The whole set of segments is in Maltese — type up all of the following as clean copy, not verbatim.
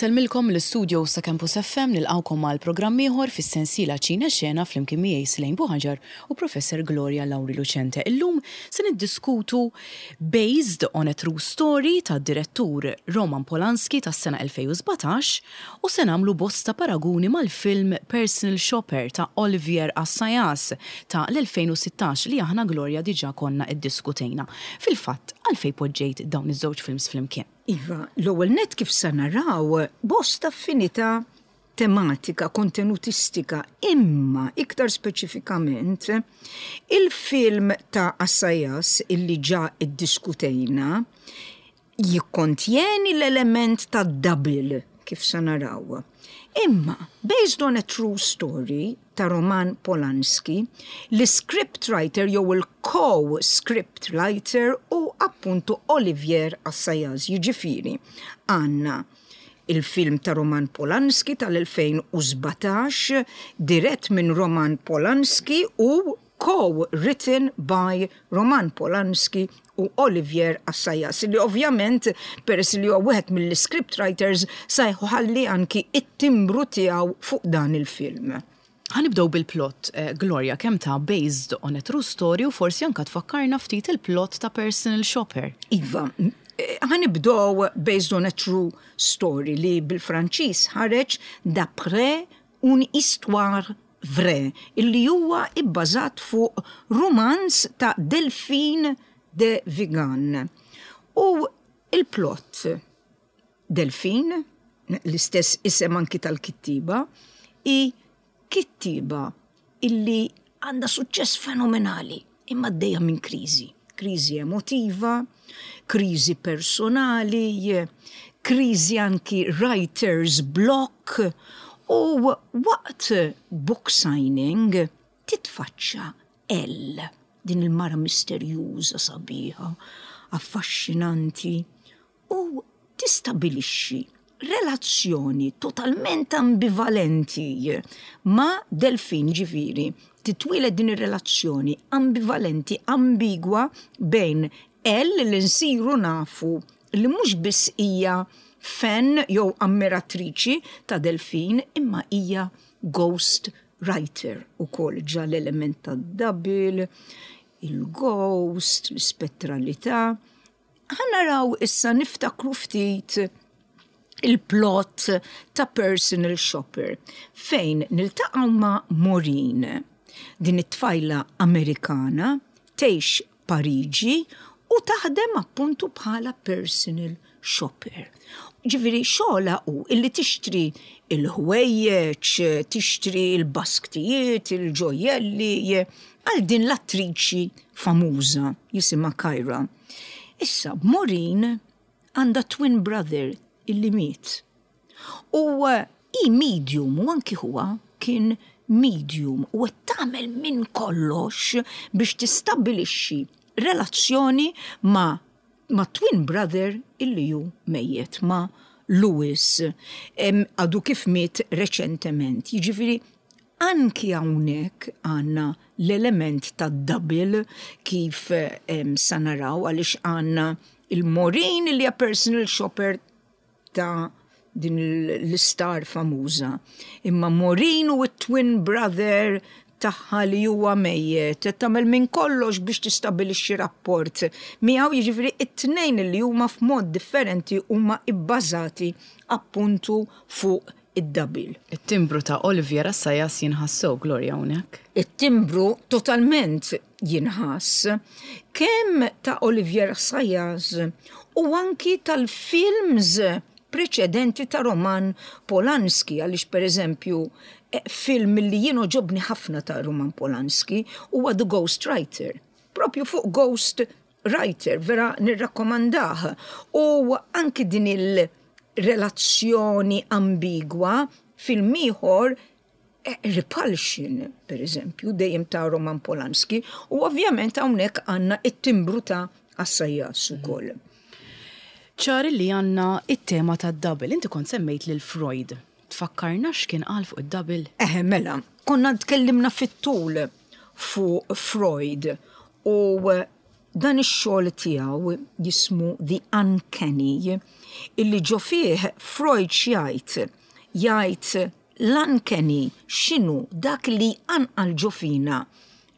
Insellmilkom mill-istudios ta' Campus FM nilqgħukom għal programm ieħor fis-sensiela Ċina Xena flimkien miegħi Selaine Buhaġar u Professor Gloria Lauri Lucente. Illum se niddiskutu Based on a True Story tad-direttur Roman Polanski tas-sena 2017 u se nagħmlu bosta paraguni mal-film Personal Shopper ta' Olivier Assayas ta' l-2016 li aħna Gloria diġà konna iddiskutejna. Fil-fatt, għalfejn poġġejt dawn iż-żewġ films flimkien? Iva, l-ewwel nett kif sa naraw bosta affinità tematika, kontenutistika, imma iktar speċifikament il-film ta' Assayas illi ġa iddiskutejna jikkontjeni l-element ta' double kif sa naraw. Imma, based on a true story, ta' Roman Polanski, l-iscript writer jew il-co-script writer hu appuntu Olivier Assayas, jiġifieri għandna il-film ta' Roman Polanski tal-2017 dirett minn Roman Polanski u co-written by Roman Polanski u Olivier Assayas, li ovvjament peress li huwa wieħed mill-script writers sa jħalli anki it-timbru tiegħu fuq dan il-film. Ħa nibdew bil-plot, Gloria, kemm ta' Based on a True Story u forsi anka tfakkarna ftit il-plot ta' Personal Shopper. Iva, ħa nibdew Based on a True Story li bil-Franċiż ħareġ D'après une histoire vraie, illi huwa ibbażat fuq rumanz ta' Delphine de Vigan. U il-plot, Delphine, l-istess isem anki tal-kittieba, hi kittieba illi għandha suċċess fenomenali imma għaddejja minn kriżi. Kriżi emotiva, kriżi personali, kriżi anki writer's block u waqt book signing titfaċċa Elle, din il-mara misterjuża, sabiħa, affaxxinanti u tistabilixxi relazzjoni totalment ambivalenti ma' Delphine, ġifieri titwieled din ir-relazzjoni ambivalenti, ambigwa bejn Elle li nsiru nafu li mhux biss hija fan jew ammiratriċi ta' Delphine imma hija ghost writer ukoll ġa l-element tad-double, il-ghost, l-ispettralità. Ħa naraw issa niftakru ftit il-plot ta' Personal Shopper fejn niltaqgħu ma' Maureen. Din it-tfajla Amerikana tgħix Pariġi u taħdem appuntu bħala personal shopper. Ġifieri xogħolha hu illi tixtri il-ħwejjeġ, tixtri l-basktijiet, il-ġojjelli għal din l-attriċi famuża jisimha Kyra. Issa, Maureen għandha twin brother illi miet. U hi medium u anki huwa kien medium u qed tagħmel minn kollox biex tistabbilixxi relazzjoni ma' ma' twin brother illi hu mejjet ma' Louis għadu kif miet reċentement. Jiġifieri Anki hawnhekk għandna l-element tad-double kif sa naraw għaliex għandna il-Maureen li hija personal shopper ta' din l-istar famuża. Imma Maureen u t-twin brother tagħha li huwa mejjet qed tagħmel minn kollox biex tistabilixxi rapport miegħu jiġifieri t-tnejn li huma f'mod differenti huma bbażati appuntu fuq id-double. It-timbru ta' Olivier Assayas jinħass sew, Gloria, hawnhekk. It-timbru totalment jinħass, kemm ta' Olivier Assayas u anki tal-films preċedenti ta' Roman Polanski, għaliex pereżempju film li jien għoġobni ħafna ta' Roman Polanski huwa The Ghost Writer. Propju fuq Ghost Writer, vera nirrakkomandah. U anki din il-relazzjoni ambigwa film ieħor eh, Repulsion, per eżempju, dejjem ta' Roman Polanski, u ovvjament hawnhekk għandna it-timbru ta' Assayas ukoll. Ċar li għandna it-tema ta' double. Inti kont semmejt lil Freud. Tfakkarna x'kien qal fuq id-double? Eħe, mela, konna tkellimna fit-tul fuq Freud u. Dan ix-xogħol tiegħu jismu The Uncanny, illi ġo fih Freud x'jgħid? Jgħid l-uncanny x'inhu dak li jqanqal ġo fina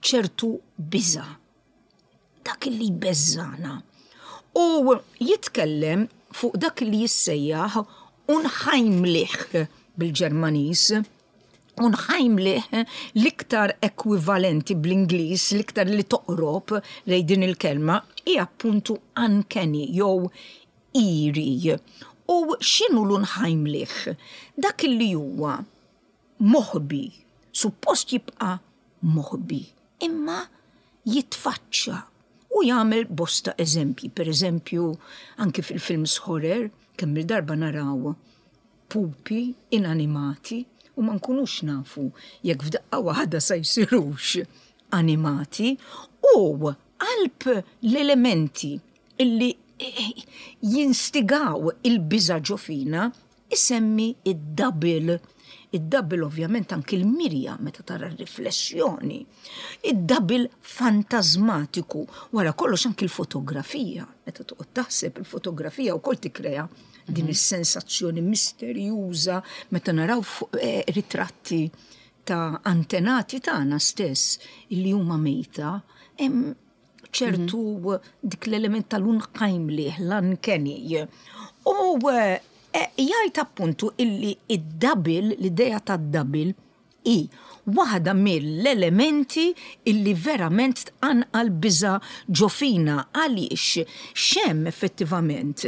ċertu biża'. Dak li jbeżżagħna. U jitkellem fuq dak li jissejjaħ unheimlich bil-Ġermaniż. Unheimlich l-iktar ekwivalenti bl-Ingliż, l-iktar li toqrob lejn din il-kelma, hi appuntu uncanny jew eerie. U x'inhu l-unheimlich? Dak li huwa moħbi, suppost jibqa' moħbi, imma jitfaċċa u jagħmel bosta eżempji, per eżempju, anki fil-films horror, kemm il-darba naraw pupi inanimati u ma nkunux nafu jekk f'daqqa waħda sa jsirux animati u qalb l-elementi illi jinstigaw il-biża' ġo fina isemmi id-double. Id-double ovvjament anki l-mirja meta tara r-riflessjoni. Id-double fantażmatiku, wara kollox anki l-fotografija, meta toqgħod taħseb il-fotografija wkoll tikkrea din mhm. is-sensazzjoni misterjuża meta naraw eh, ritratti ta' antenati tagħna stess illi huma mejta, hemm ċertu mhm. dik l-element tal-unheimlich, l-uncanny. U eh, jgħid appuntu illi id-double, l-idea tad-double, hi waħda mill-elementi illi verament tqanqal biża' ġo fina għaliex x'hemm effettivament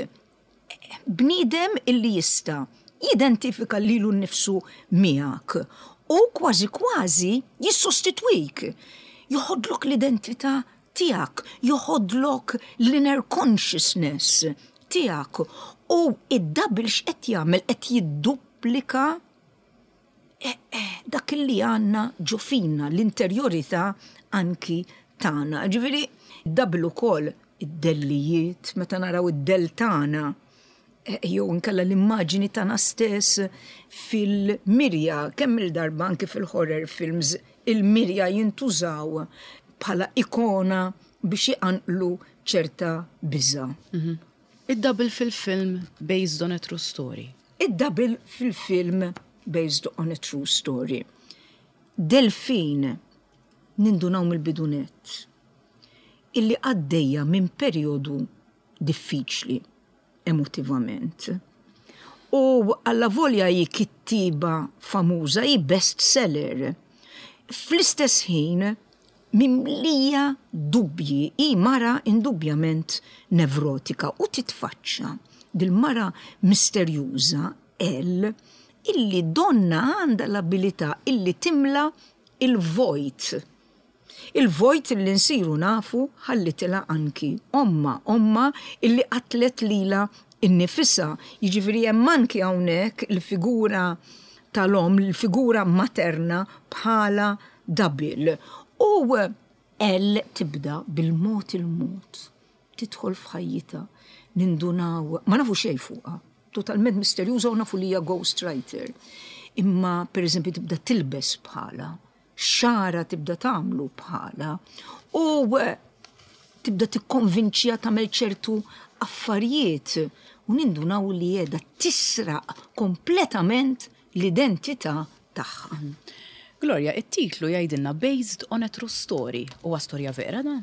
bniedem illi jista' jidentifika lilu nnifsu miegħek u kważi kważi jissostitwik, joħodlok l-identità tiegħek, joħodlok l-inner consciousness tiegħek u id-double x'qed jagħmel qed jidduplika eh, eh, dak li għandna ġo fina, l-interjorità anki tagħna. Ġifieri double ukoll id-dellijiet, meta naraw id-dell tagħna eh, jew inkella l-immaġini tagħna stess fil-mirja, kemm il-darba anki fil-horror films, il-mirja jintużaw bħala ikona biex iqanqlu ċerta biża. Mhm. Id-double fil-film based on a true story. Id-double fil-film based on a true story. Delphine nindunaw mill-bidu nett illi għaddejja minn perjodu diffiċli emotivament. U allavolja hi kittieba famuża, hi best seller. Fl-istess ħin mimlija dubji, hi mara indubbjament nevrotika u titfaċċa dil-mara misterjuża Elle illi donnha għandha l-abilità illi timla il-vojt. Il-vojt illi nsiru nafu ħallitilha anki ommha, ommha illi qatlet lilha nnifisha. Jiġifieri hemm anki hawnhekk il-figura tal-omm, il-figura materna bħala double. U Elle tibda bil-mod il-mod tidħol f'ħajjitha, nindunaw, ma nafu xejn fuqha, totalment misterjuża u nafu li hija ghost writer. Imma pereżempju tibda tilbes bħala, xagħarha tibda tagħmlu bħala u tibda tikkonvinċiha tagħmel ċertu affarijiet u nindunaw li qiegħda tisraq kompletament l-identità tagħha. Gloria, it-titlu jgħidilna based on a true story. Huwa storja vera dan?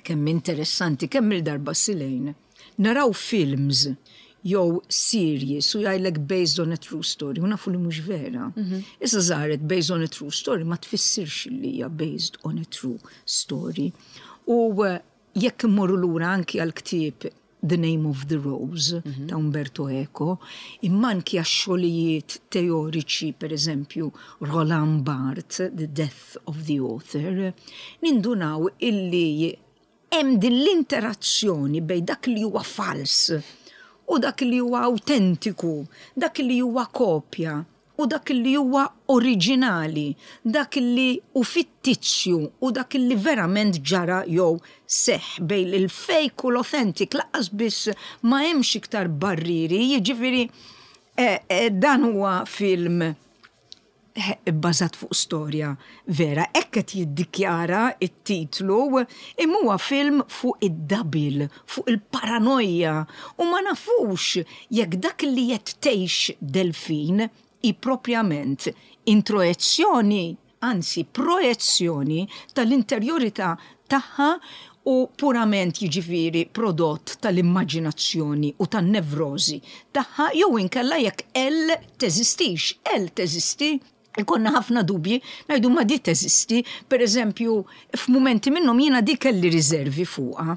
Kemm interessanti, kemm il-darba Silejn naraw films jew series u jgħidlek based on a true story u nafu li mhux vera. Mhm. Issa żaret based on a true story ma tfissirx li hija based on a true story. U eh, jekk immorru lura anki għal ktieb The Name of the Rose mhm. ta' Umberto Eco, imma anki għax-xogħlijiet teoriċi, per eżempju, Roland Barthes, The Death of the Author, nindunaw illi Hemm din l-interazzjoni bejn dak li huwa fals u dak li huwa awtentiku, dak li huwa kopja u dak li huwa oriġinali, dak li hu fittizju u dak li verament ġara jew seħħ bejn il-fake u l-authentic lanqas biss ma hemmx iktar barrieri, jiġifieri dan huwa film. Bbażat fuq storja vera. Hekk qed jiddikjara t-titlu, imma huwa film fuq id-double, fuq il-paranoja u ma nafux jekk dak li qed tgħix Delphine hi propjament introjezzjoni, anzi projezzjoni tal-interjorità tagħha u purament jiġifieri prodott tal-immaġinazzjoni u tan-nevrożi tagħha jew inkella jekk Elle teżistix. Elle teżisti? Ikollna ħafna dubji, ngħidu ma di teżisti, per eżempju, f'mumenti minnhom jiena di kelli riservi fuqha.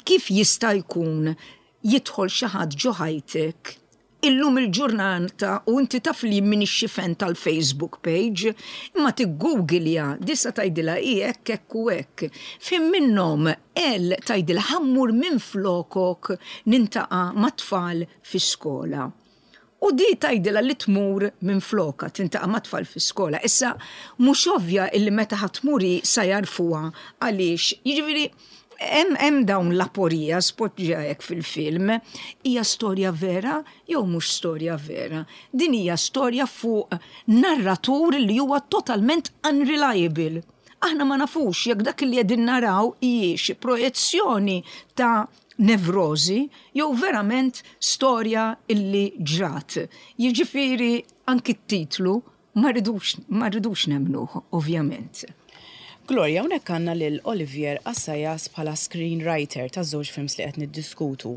Kif jista' jkun jidħol xi ħadd ġo ħajtek illum il-ġurnata u inti taf li jien m'iniex xi fan tal-Facebook page, imma tiggooglja, di sa tgħidilha hi hekk hekk u hekk. F'ħin minnhom Elle tgħidilha ħa mmur minflokok nintaqa' mat-tfal fi skola. U di tgħidilha li tmur minflokha tintaqa' mat-tfal fi skola. Issa mhux ovvja illi meta ħa tmur hi sa jagħrfuha għaliex, jiġifieri Hemm hemm dawn l-aporija spoġġja hekk fil-film. Hija storja vera jew mhux storja vera? Din hija storja fuq narratur li huwa totalment unreliable. Aħna ma nafux jekk dak li qegħdin naraw hijiex projezzjoni ta' nevrożi jew verament storja illi ġrat. Jiġifieri anki t-titlu Ma rridux, ma rridux nemmnuh, ovvjament. Gloria, hawnhekk għandna lil Olivier Assayas bħala screenwriter taż-żewġ films li qed niddiskutu.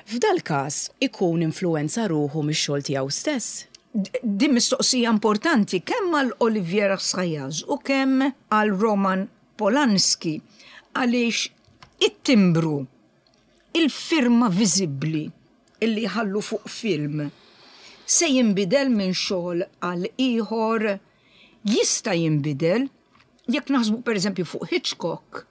F'dal-każ ikun influwenza ruħu mix-xogħol tiegħu stess? Din mistoqsija importanti kemm għal Olivier Assayas u kemm għal Roman Polanski għaliex it-timbru Il-firma viżibbli li jħallu fuq film se jinbidel minn xogħol għal ieħor? Jista' jinbidel. Jekk naħsbu pereżempju fuq Hitchcock,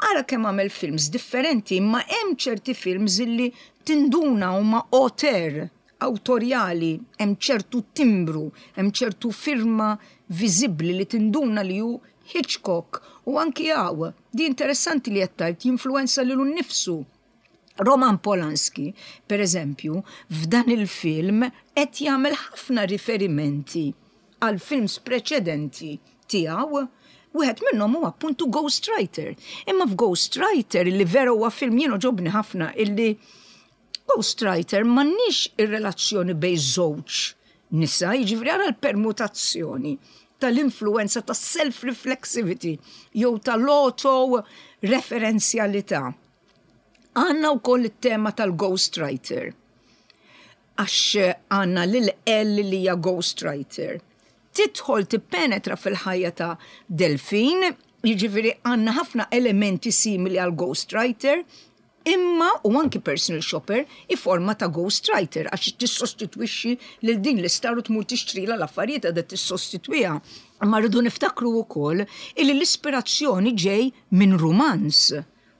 ara kemm għamel films differenti imma hemm ċerti films illi tinduna huma auteur, awtorjali, hemm ċertu timbru, hemm ċertu firma viżibbli li tinduna li hu Hitchcock u anki hawn, di interessanti li qed tgħid, jinfluwenza lilu nnifsu. Roman Polanski, per eżempju, f'dan il-film qed jagħmel ħafna riferimenti għal films preċedenti tiegħu. Wieħed minnhom huwa appuntu Ghost Writer. Imma f'Ghost Writer, li vera huwa film jien għoġobni ħafna, illi Ghostwriter m'għandniex ir-relazzjoni bejn żewġ nisa, jiġifieri ara l-permutazzjoni tal-influwenza tas-self-reflexivity jew tal-auto-referenzjalità. Għandna wkoll it-tema tal-ghostwriter għax għandna lil Elle li hija ghostwriter. Tidħol tippenetra fil-ħajja ta' Delphine, jiġifieri għandna ħafna elementi simili għal ghostwriter, Imma, u anki personal shopper, hi forma ta' ghost writer għax tissostitwixxi lil din l-istar u tmur tixtrilha l-affarijiet qiegħda tissostitwiha. Imma rridu niftakru wkoll illi l-ispirazzjoni ġej minn rumanz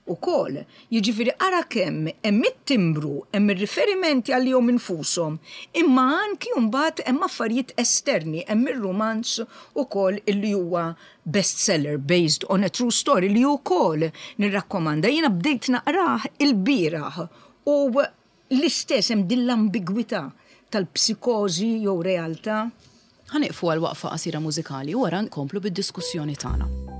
ukoll. Jiġifieri ara kemm hemm it-timbru, hemm ir-riferimenti għalihom infushom, imma anki mbagħad hemm affarijiet esterni, hemm ir-rumanz ukoll illi huwa bestseller based on a true story li wkoll nirrakkomanda. Jiena bdejt naqrah ilbieraħ u l-istess hemm din l-ambigwità tal-psikożi jew realtà. Ħa nieqfu għal waqfa qasira mużikali u wara nkomplu bid-diskussjoni tagħna.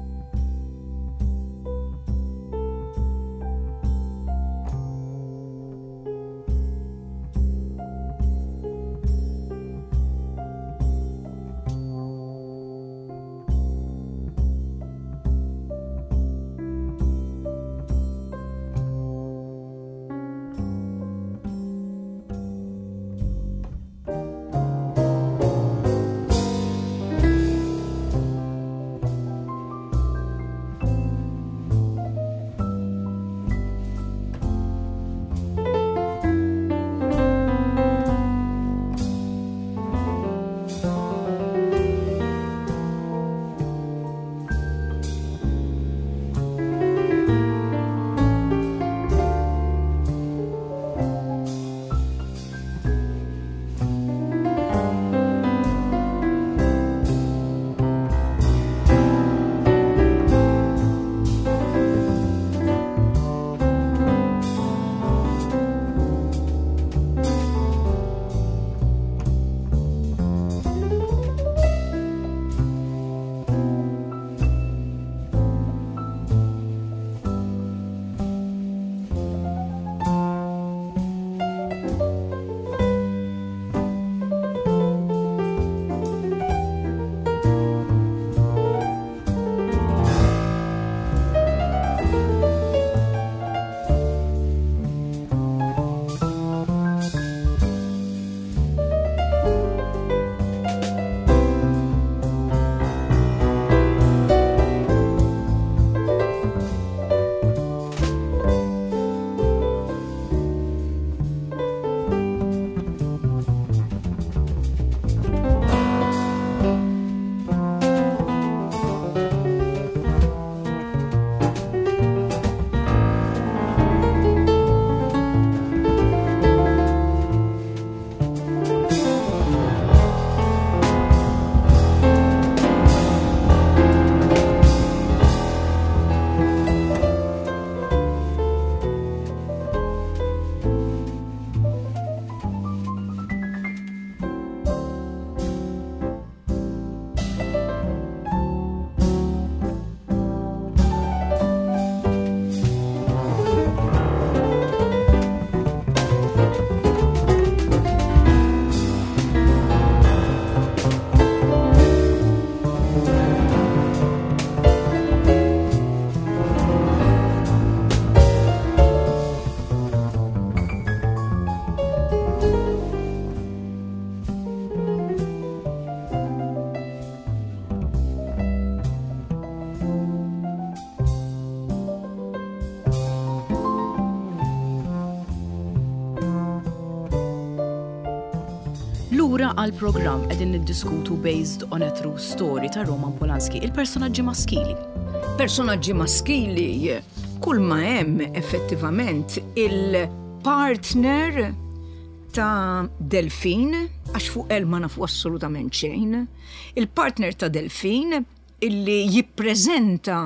għall-programm qegħdin niddiskutu Based on a True Story ta' Roman Polanski, il-personaġġi maskili. Personaġġi maskili kull ma hemm effettivament il-partner ta' Delfin, għax fuq El ma nafu assolutament xejn, il-partner ta' Delfin illi jippreżenta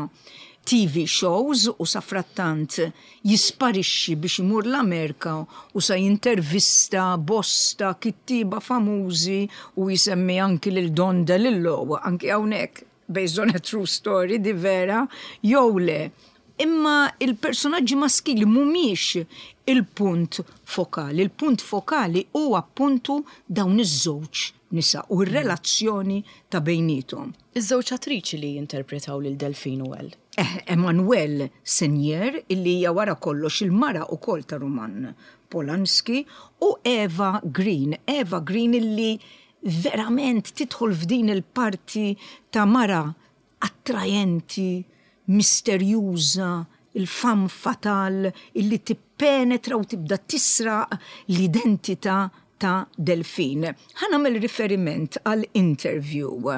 TV shows u safrattant jisparixxi biex imur l-Amerika u sa jintervista bosta kittieba famużi u jsemmi anki lil Don DeLillo, anki hawnhekk based on a true story di vera jew le. Imma il-personaġġi maskili mhumiex il-punt fokali. Il-punt fokali hu appuntu dawn iż-żewġ nisa u r-relazzjoni ta' bejniethom. Iż-żewġ attriċi li jinterpretaw lil Delphine u Elle. Eh, Emmanuelle Seigner, illi hija wara kollox il-mara ukoll ta' Roman Polanski, u Eva Green. Eva Green illi verament tidħol f'din il-parti ta' mara attrajenti, misterjuża, il-femme fatale illi tippenetra u tibda tisraq l-identità ta' Delphine. Ħa nagħmel riferiment għal interview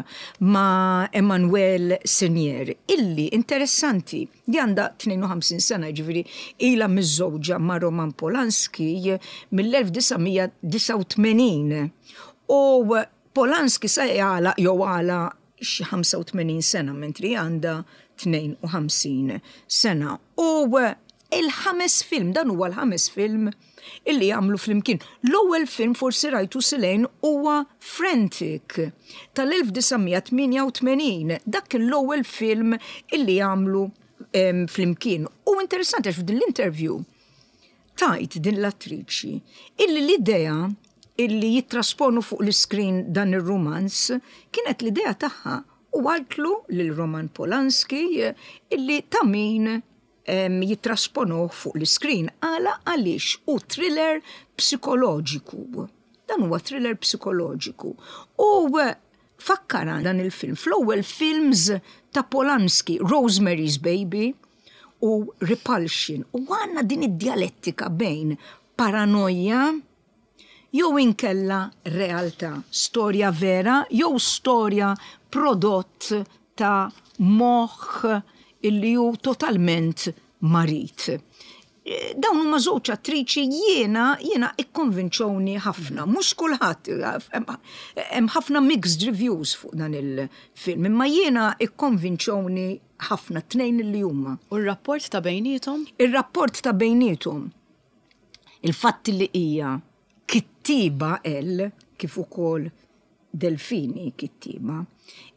ma' Emmanuelle Seigner illi interessanti li għandha 52 sena jiġifieri ilha miżżewġa ma' Roman Polanski mill-1989 u Polanski sa jagħlaq jew għalaq xi 85 sena mentri hi għandha 52 sena. U il-ħames film, dan huwa l-ħames film illi għamlu flimkien. L-ewwel film forsi rajtu Silejn huwa Frantic tal-1988. Dak kien l-ewwel film illi għamlu flimkien. U interessanti għax f'din l-interview tgħid din l-attriċi illi l-idea illi jittrasponu fuq l-iskrin dan ir-rumanz kienet l-idea tagħha u qaltlu lil Roman Polanski illi ta' min jittrasponuh fuq l-iskrin. Għala għaliex hu thriller psikoloġiku. Dan huwa thriller psikoloġiku. U fakkarha dan il-film fl-ewwel films ta' Polanski, Rosemary's Baby, u repulsion u għandna din id-djalettika bejn paranoja jew inkella realtà, storja vera jew storja prodott ta' moħħ illi hu totalment marid. Dawn huma żewġ attriċi jiena jiena ikkonvinċewni ħafna. Mhux kulħadd hemm ħafna mixed reviews fuq dan il-film, imma jiena ikkonvinċewni ħafna t-tnejn li huma. U r-rapport ta' bejniethom? Ir-rapport ta' bejniethom. Il-fatt li hija kittieba El kif ukoll Delfini kittieba,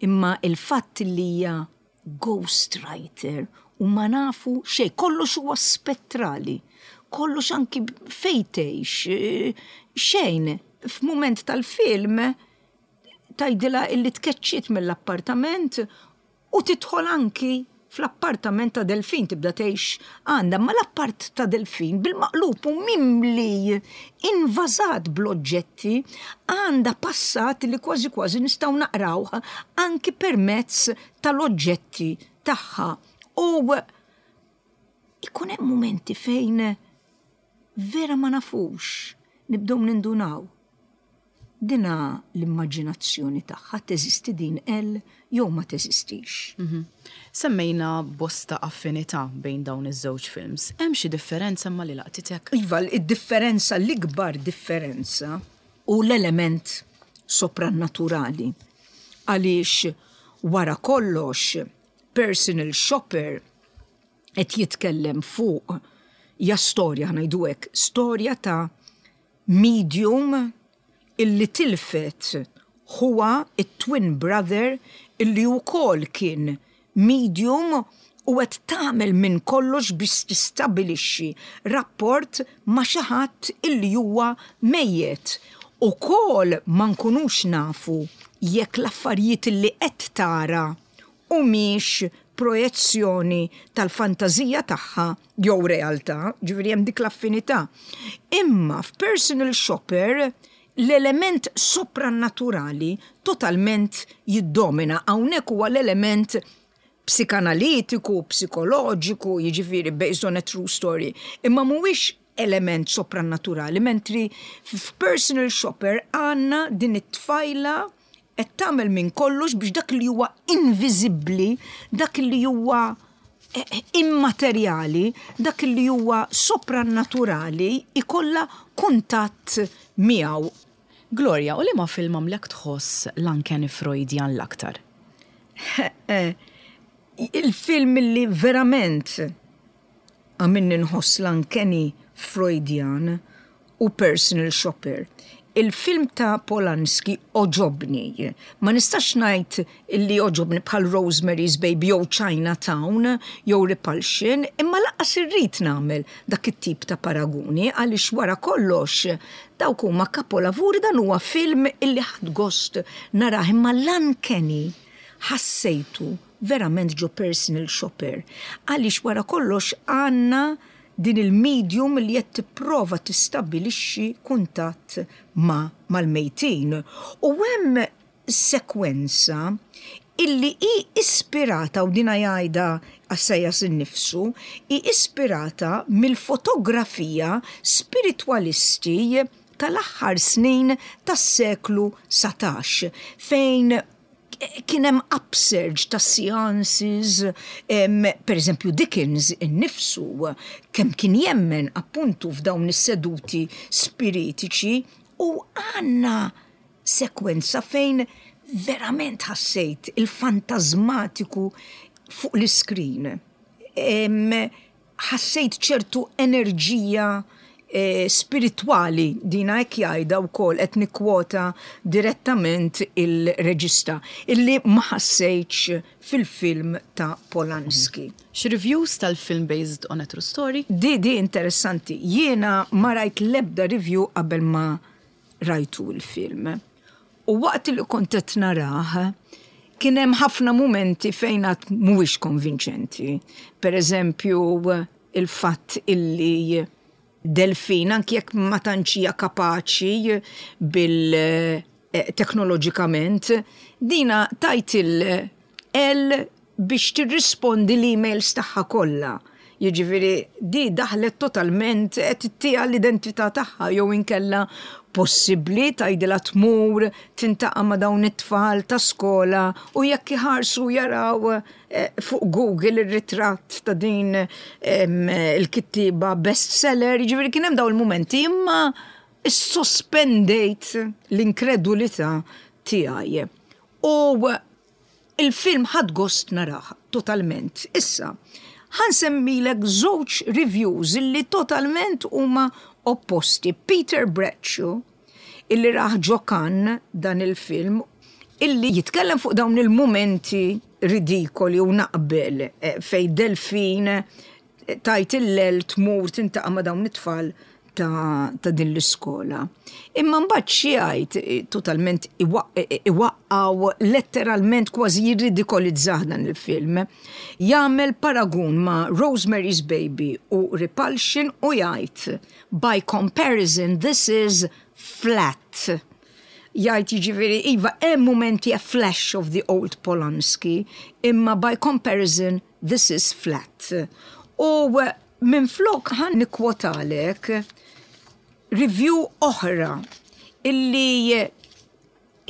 imma il-fatt li hija ghost writer u ma nafu xejn, kollox huwa spettrali, kollox anki fejn tgħix, xejn. F'mument tal-film tgħidilha illi tkeċċiet mill-appartament U tidħol anki fl-appartament ta' Delphine tibda tgħix għandha, imma l-appart ta' Delphine bil-maqlub hu mimli, invażat bl-oġġetti, għandha passat li kważi kważi nistgħu naqrawh anki permezz tal-oġġetti tagħha. U ikun hemm mumenti fejn vera ma nafux, nibdew nindunaw. Dina l-immaġinazzjoni tagħha teżisti din El jew ma teżistix. Mhm. Semmejna bosta affinità bejn dawn iż-żewġ films. Hemm xi differenza imma li laqtitek? Iva, id-differenza, l-ikbar differenza hu l-element soprannaturali. Għaliex wara kollox Personal Shopper qed jitkellem fuq hija storja, ħa ngħidu hekk, storja ta' medium illi tilfet ħuha it-twin brother illi wkoll kien medium u qed tagħmel minn kollox biex tistabilixxi rapport ma' xi ħadd illi huwa mejjet. Ukoll ma nkunux nafu jekk l-affarijiet illi qed tara humiex projezzjoni tal-fantażija tagħha jew realtà, ġifieri hemm dik l-affinità. Imma f'Personal Shopper l-element soprannaturali totalment jiddomina. Hawnhekk huwa l-element psikanalitiku, psikoloġiku, jiġifieri based on a true story, imma mhuwiex. element soprannaturali, mentri f'Personal Shopper għandna din it-tfajla qed tagħmel minn kollox biex dak li huwa inviżibbli, dak li huwa immaterjali, dak li huwa soprannaturali ikollha kuntatt miegħu. Gloria, u liema film għamlek tħoss l-uncanny Freudian l-aktar? Il-film li verament għamilni nħoss l-uncanny Freudian hu Personal Shopper. Il-film ta' Polanski għoġobni. Ma nistax ngħid li għoġobni bħal Rosemary's Baby jew Chinatown jew Repulsion, imma lanqas irrid nagħmel dak it-tip ta' paraguni għaliex wara kollox dawk huma kapolavuri, dan huwa film illi ħadt gost narah imma l-uncanny ħassejtu verament ġo Personal Shopper għaliex wara kollox għandna din il-medium li qed tipprova tistabbilixxi kuntatt ma' mal-mejtin u hemm sekwenza illi hi ispirata, u dina jgħidha Assayas innifsu, hi ispirata mill-fotografija spiritwalisti tal-aħħar snin tas-seklu 19 fejn kien hemm upsurge ta' seances, per eżempju Dickens innifsu kemm kien jemmen appuntu f'dawn is-seduti spiritiċi u għandna sekwenza fejn verament ħassejt il-fantażmatiku fuq l-iskrin. Ħassejt ċertu enerġija spiritwali, dina hekk jgħidha wkoll qed nikkwota direttament il-reġista, illi ma ħassejtx fil-film ta' Polanski. Xi reviews tal-film based on a true story? Di di interessanti. Jiena ma rajt l-ebda review qabel ma rajtu l-film. U waqt li kont qed narah, kien hemm ħafna mumenti fejn għad mhuwiex konvinċenti. Per eżempju, il-fatt illi Delfin, anki jekk ma tantx hija kapaċi bil teknoloġikament, dina tajt il-L biex tirrispondi l-emails tagħha kollha. Jiġifieri di daħlet totalment qed ittiha l-identità tagħha jew inkella possibbli tgħidilha tmur tintaqa' ma' dawn it-tfal ta' skola u jekk iħarsu jaraw fuq Google ir-ritratt ta' din il-kittieba bestseller, jiġifieri kien hemm dawn il-mumenti imma issospendejt l-inkredulità tiegħi. U Il-film ħadt gost narah totalment. Issa, ħa nsemmilek żewġ reviews illi totalment huma opposti. Peter Bradshaw, illi rah ġo Cannes dan il-film, illi jitkellem fuq dawn il-mumenti ridikoli u naqbel fejn Delphine tgħid il-lel tmur tintaqa' ma' dawn it-tfal ta', ta din l-iskola. Imma mbagħad xi jgħid totalment iwaqqgħu letteralment kważi jirridikolizzah dan il-film. Jagħmel paragun ma' Rosemary's Baby u Repulsion u jgħid by comparison this is flat. Jgħid jiġifieri iva hemm mumenti a flash of the old Polanski imma by comparison This is flat. U minflok ħa nikkwotalek review oħra illi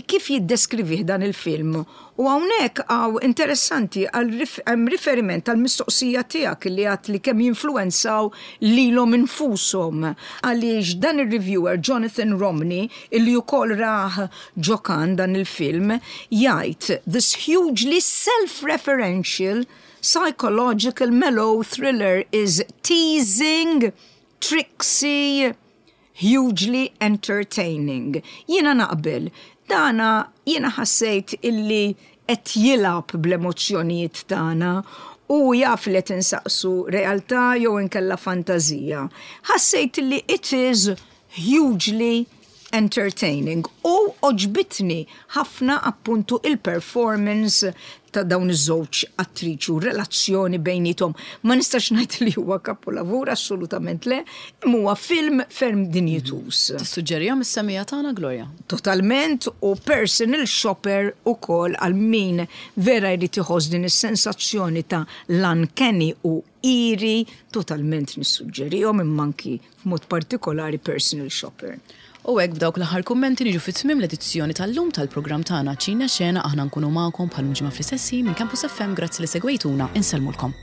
kif jiddeskrivih dan il-film. U hawnhekk hawn interessanti għal hemm riferiment għal mistoqsija tiegħek li għat li kemm jinfluwenzaw lilhom infushom għaliex dan ir-reviewer Jonathan Romney illi wkoll rah ġo Cannes dan il-film, jgħid this hugely self-referential psychological mellow thriller is teasing, tricksy, hugely entertaining. Jiena naqbel. Dana jiena ħassejt illi qed jilgħab bl-emozzjonijiet tagħna u jaf li qed insaqsu realtà jew inkella fantażija. Ħassejt illi it is hugely. entertaining u għoġbitni ħafna appuntu il-performance ta' dawn iż-żewġ attriċi u relazzjoni bejniethom. Ma nistax ngħid li huwa kapolavur, assolutament le, imma huwa film ferm dinjituż. Tissuġġerihom is-semmiegħa tagħna, Gloria? Totalment u Personal Shopper ukoll għal min vera jrid iħoss din is-sensazzjoni ta' l-uncanny u eerie, totalment nissuġġerihom imma anki f'mod partikolari Personal Shopper. U hekk b'dawk l-aħħar kummenti niġu fi tmiem l-edizzjoni tal-lum tal-programm tagħna Ċina Xena aħna nkunu magħkom bħal ġimgħa fl-istess ħin minn Campus FM grazzi li segwejtuna insellmulkom.